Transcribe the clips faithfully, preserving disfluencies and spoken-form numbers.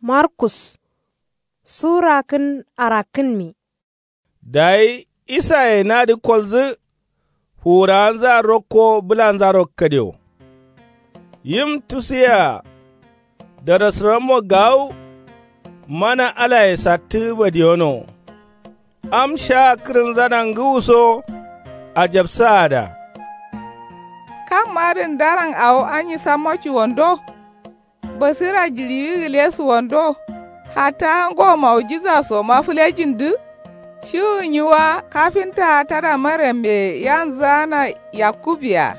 Markus sura kǝn arakkǝnmi. Dayi isaye nadǝ koldǝ fuwurawanzǝa rokko bǝlanzaro kadio. Yim tusuyea darasǝrammo gawu mana alaye sattǝ badiyono. Am sha kǝrǝnzana ngǝwuso ajabsaada. Kam adǝn daran awo anyi sammo cuwondo? Basira jiɍiwi gǝle suwando? Hatta ngo mawujizasoma fǝlejindǝ? Shiwu nyi wa kafintaa tada maryamye yanzǝana yakkub-yea,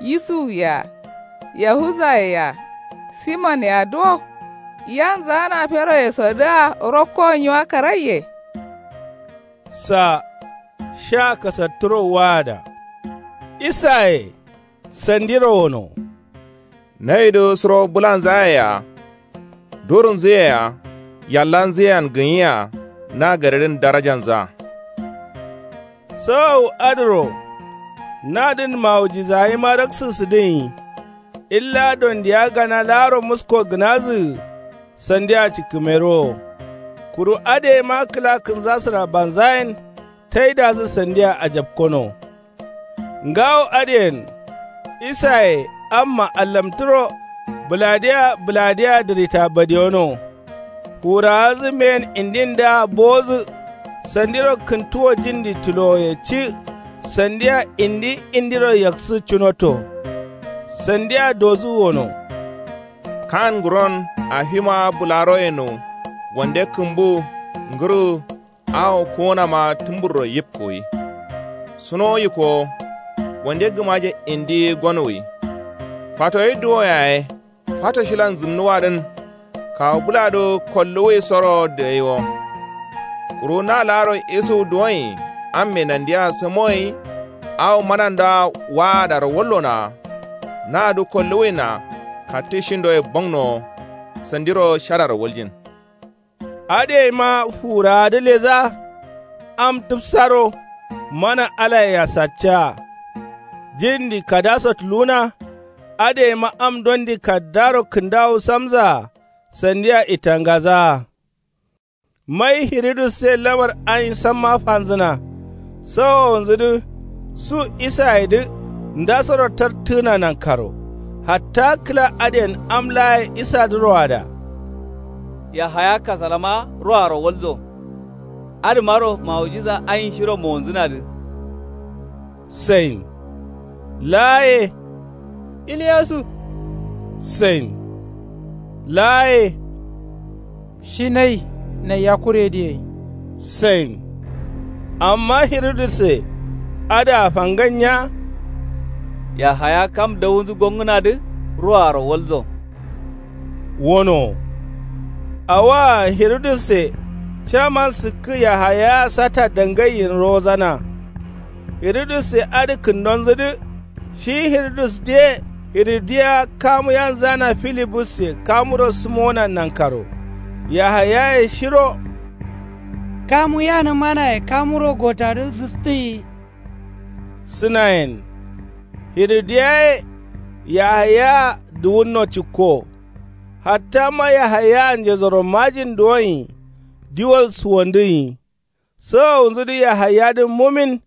yusuw-yea, yahuzaye-yea, siman-yea duwo? Yanzǝana feroyesodǝa rokkowo nyi wa karaiye? Sa sha kasatturo waada. Isaye sandiro wono. Naidǝ suro bǝlanzayea, durunzuyea, yallanzuyean gǝnyia na gadedǝn darajanzǝa. Sawawu adǝro nadǝn mawujizawaima raksǝsǝdǝnyi. Illa dondiya gana laaro musko gǝnazǝgǝ sandia cikkǝmerowo. Kuru adǝyeima kǝla kǝnzasǝra banzayen taidazǝ sandia ajapkono. Ngawo adǝyen isaye amma allamtǝro bǝladea bǝladea dǝrita badiyono. Fuwurawanzǝ mbeyen indindǝa bowodǝ sandiro kǝntuwo jindi tulowoye ci. Sandia indi indiro yaksǝ cunoto. Sandia dozǝ wono. Kan nguron afima bǝlaroyeno wande kǝmbu ngǝrǝ awo kuwunama tǝmburro yibkuwi. Sunowu yikowo wande gǝmaje indi gonuwi. Fatoyi duwo yaye fato shilan zǝmnuwadǝn kawu bǝladǝ kolluwui soro dǝgaiwo. Kuru na laaro isuwu duwonyi amme nandia samoyi awo manandoa waadaro wallonowa. Nadǝ kolluwuina kattǝ shindoye bongnowo sandiro shadaro waljin. Adǝyeima fuwurawadǝ ledǝa am tǝfsaro mana alayea saccaa. Jindi kadaso tuluwuna. Adǝyeima am dondi kaddaro kǝndawu samzǝa sandia itangazaa. Mai hirudusse lamar ayin samma fanzǝna. Sawowonzudǝ su isayedǝ ndasoro tartǝgǝna nankaro. Hatta kǝla adǝyen am laaye isadǝ roada. Yahaya kasalama roaro walzo. Adǝmaro mawujiza ayin shiro mowonzǝnadǝ. Sain laaye. Iliyasu. Sain laaye. Shi nai nai yakuredǝ yai. Sain. Amma hirudusse adǝa fangan nya. Yahaya kam dawunzǝ gongǝnadǝ roaro walzo. Wono awoa hirudusse caman sǝkkǝ yahayaa sata dangaiyin rowozana. Hirudusse adǝ kǝndonzǝdǝ. Shi hirudusdǝye hirudiya kamu yanzana filibusse kamuro sǝmowona nankaro. Yahayaye shiro. Kamu yanǝmanaye kamuro gotadǝ sǝstǝnyi. Sǝnayen hirudiyaye yahayaa duwunno cikko. Hattama yahayaa njedoro majin duwonyi. Diwal suwandǝnyi. Sawowunzudǝ yahayadǝ mumin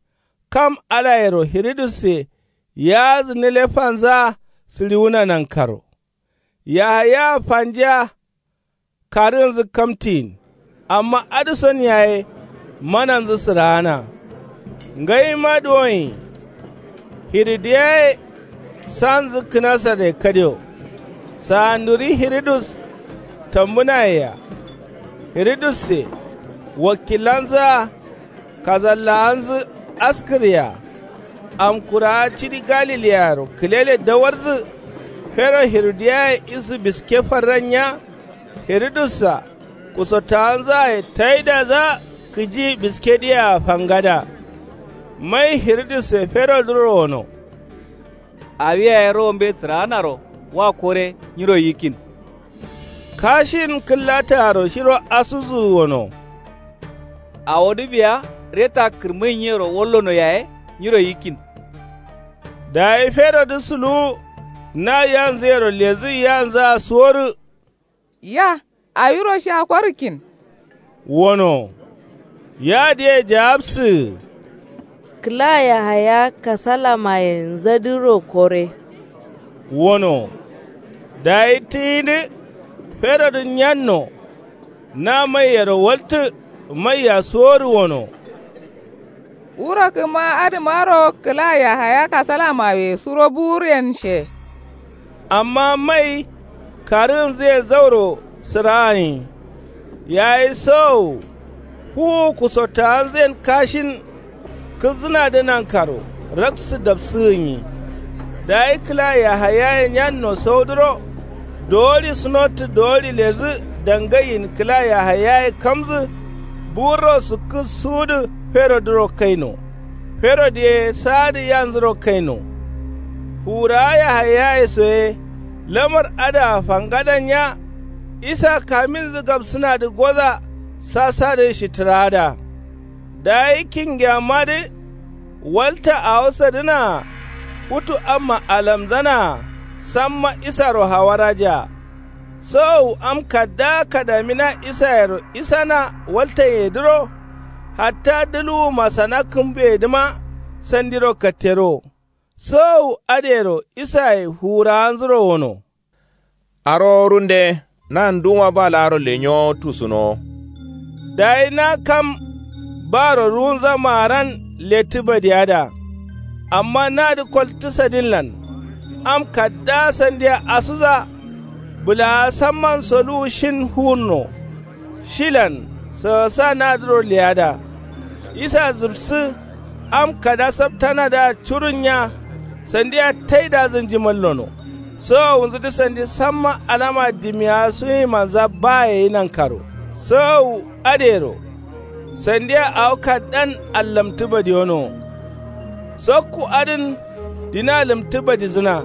kam alayero hirudusse yaazǝ nǝlefanzǝa sǝɍiwuna nankaro. Yahayaa fanjiya karǝnzǝ kamtiyin. Amma adǝson yaye mananzǝ sǝraana. Ngaima duwonyi hirudiyaye sanzǝ kǝnasarre kadio. Sanduri hirudus tambǝnayea. Hirudusse wakkilanzǝa kazallawanzǝ askǝryea. Amkurawa cidi galiliyaro kǝlele dawarjǝ. Fero hirudiyaye isǝ biske farran nya. Hirudussa kusottawanzǝaye taidadǝa kǝji biskedǝyea fangada. Mai hirudusse ferodǝro wono. Awi yaye rowombe sǝraanaro wa kore nyiro yikkin. Kashin kǝllataaro shiro asudǝ wono. Awodǝ biya reta kǝrmǝnyinyero wallono yaye nyiro yikkin. Dayi ferodǝ suluwu na yanzǝyero ledǝ yanzǝa suworǝ. Ya Awiro sha korikkin. Wono. Yadǝye jawabsǝ. Kǝla yahaya kasalamaye nzadǝro kore. Wono. Dayi tǝyidǝ. Ferodǝ nyanno. Na maiyero waltǝ. Maiya suworǝ wono. Wuro kǝma adǝmaro kǝla yahaya kasalamawe suro buwuryen she. Amma mai karǝgǝnzǝye zauro sǝraanyi. Yayi sowowu fuwu kusottawanzǝyen kashin. Kǝlzǝnadǝ nankaro raksǝ dapsǝgǝnyi. Dayi kǝla yahayaye nyanno saudǝro. Dowori sunottǝ dowori ledǝ. Dangaiyin kǝla yahayaye kamdǝ. Buwurro sukkǝ suwudǝ ferodǝro kaino. Ferodǝ ye saadǝ yanzuro kaino. Fuwurawa yahayaye soye. Lamar adǝa fangadan nya. Isa kaminzǝ gabsǝnadǝ goza. Sasadǝ shitǝraada. Dayi kingiyammadǝ. Walta awo sadǝnaa. Futu amma alamzanaa. Samma isaro hawarajaa. Sowowu am kaddaa kadamina isayero isana waltanyedǝro. Hatta dǝluwu masana kǝmbuyedǝma. Sandiro kattero. Sowowu adǝyero isaye fuwurawanzuro wono. Arowo runde. Na nduma ba laaro lenyowo tusunowo. Dayi na kam. Baro ruwunza maaran lettǝ badiyada. Amma nadǝ koltǝ sadinlan. Am kaddaa sandiya asuza. Bǝlawa samman soluwu shin fuwunno. Shilan sǝgǝsa nadǝro leyada. Isa zǝbsǝ. Am kada saptanadǝa curun nya. Sandiya taidazǝ njimallono. Sowowunzǝdǝ sandi samma alama dimiyawa suwimanza baye ye nankaro. Sowowu adǝyero. Sandiya awo kaddan allamtǝ badiyonowo. Sokku adǝn dina lǝmtǝ badizǝna.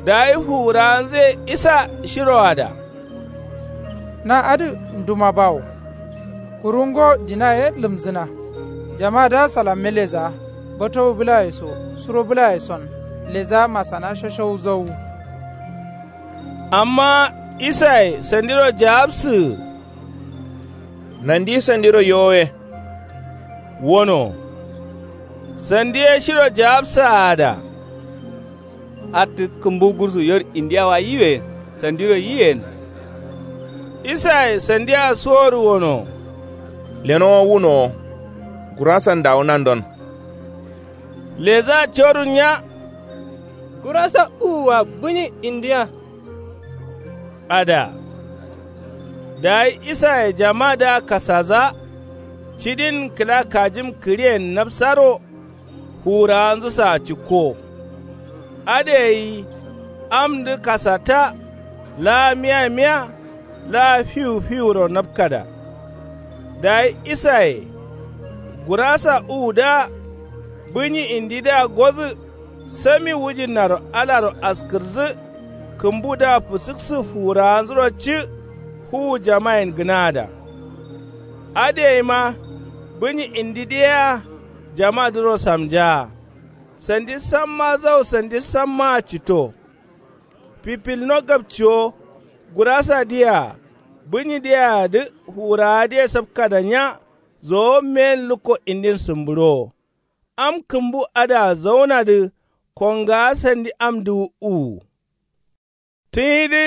Dayi fuwurawanzǝye isa shiroada. Na adǝ nduma bawo. Kuru ngo dina ye lǝmzǝna. Jamadǝa salamme leza. Batowu bǝlaye so suro bǝlaye son. Leza masana shashau zauwu. Amma isaye sandiro jawabsǝgǝ. Nandi sandiro yowoye. Wono. Sandi ye shiro jawabsaada. Attǝ kǝmbu gursu yor indiya wa yiwe. Sandiro yiyen. Isaye sandia suworǝ wono. Lenowo wunowo. Gurasan dawu nandon. Leza corun nya. Gurasa uwu wa bǝnyi indiya. Ada. Dayi isaye jamadǝa kasaza. Cidin kǝla kajim kǝriyen nabsaro. Fuwurawanzǝsaa cikko. Adǝ gai. Amdǝ kasata. Laa miya miya. Laa fiwu fiwuro napkada. Dayi isaye. Gurasa uwudǝa. Bǝnyi indidǝa gozǝ. Sami wujinnaro alaro askǝrjǝ. Kǝmbudǝa fǝsǝksǝ fuwurawanzuro ci. Fuwu jamayen gǝnaada. Adǝ gaima. Bǝnyi indidǝ yea. Jamadǝro samjaa. Sandi samma zau sandi sammaa cito. Fifilno gapciwo. Gurasadǝyea. Bǝnyidǝyeadǝ fuwurawadǝye sapkada nya. Zowo meyen lukko indin sǝmbǝɍowo. Am kǝmbu adǝa zaunadǝ. Kongawa sandi amdǝ uwu. Tǝyidǝ.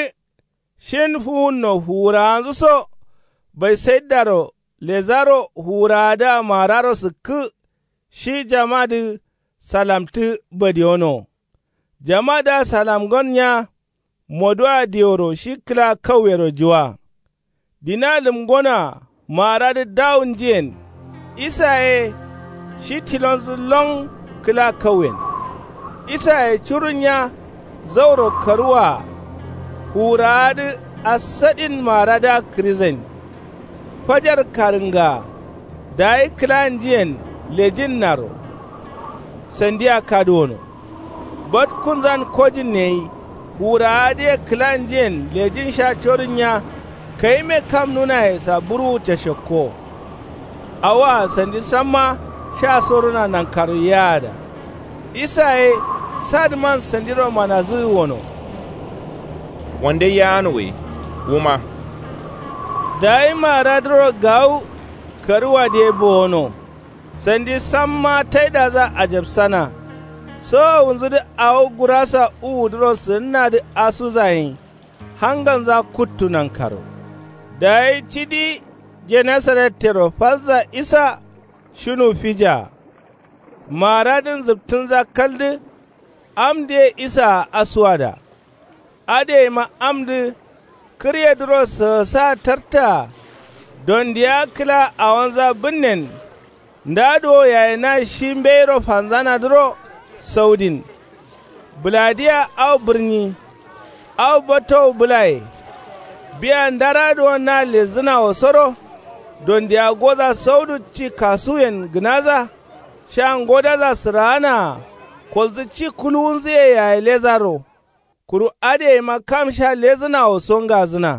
Shin fuwunno fuwurawanzǝso. Baisaidaro lezaro fuwurawadǝa mararo sǝkkǝ. Shi jamadǝ. Salamtǝ badiyono. Jamadǝa salamgon nya. Moduwa diworo shi kǝla kauyero juwa. Dina lǝmgonoa. Maradǝ dawunjiyen. Isa ye. Shi tilonzǝ lon. Kǝla kauyen. Isaye curun nya. Zauro karuwaa. Fuwurawadǝ. Assaɗin maradǝa kǝrizain. Fajar karǝngaa. Dayi kǝlanjiyen. Lejinnaro. Sandia kaduwono. Batkunzan kojin neyi. Fuwurawadǝye kǝlanjiyen lejin sha corun nya. Kayime kam nunaye sa buruwu cashekko. Awoa sandi samma. Sha sorona nankaro yaada. Isa ye. Sadǝman sandiro manazǝgǝ wono. Wande yaano gai. Wuma. Dayi maradǝro gawu karuwadǝ ye bowono. Sandi samma taidazǝa ajabsana. Sowowunzǝdǝ awo gurasa uwudǝro sǝnnadǝ asuzayin hangalnza kuttu nankaro. Dayi cidi jenesarettero falza isa shinu fija. Maradǝn zǝptǝnza kaldǝ. Amdǝye isaa asuwada. Adǝyeima amdǝ kǝryedǝro sǝgǝsa tartaa. Dondiya kǝla awonza bǝnnen. Nda duwo yaye na shi mbeiro fanzanadǝro saudin. Bǝladiya au bǝrnyi au battowu bǝlaye. Biya ndara duwo na lezzǝnawosoro. Dondiya goza saudu ci kasuyen gǝnaza. Sha ngodaza sǝraanaa. Kolzǝ ci kuluwunzǝye yaye lezaro. Kuru adǝyeima kam sha lezǝnawoso ngazǝna.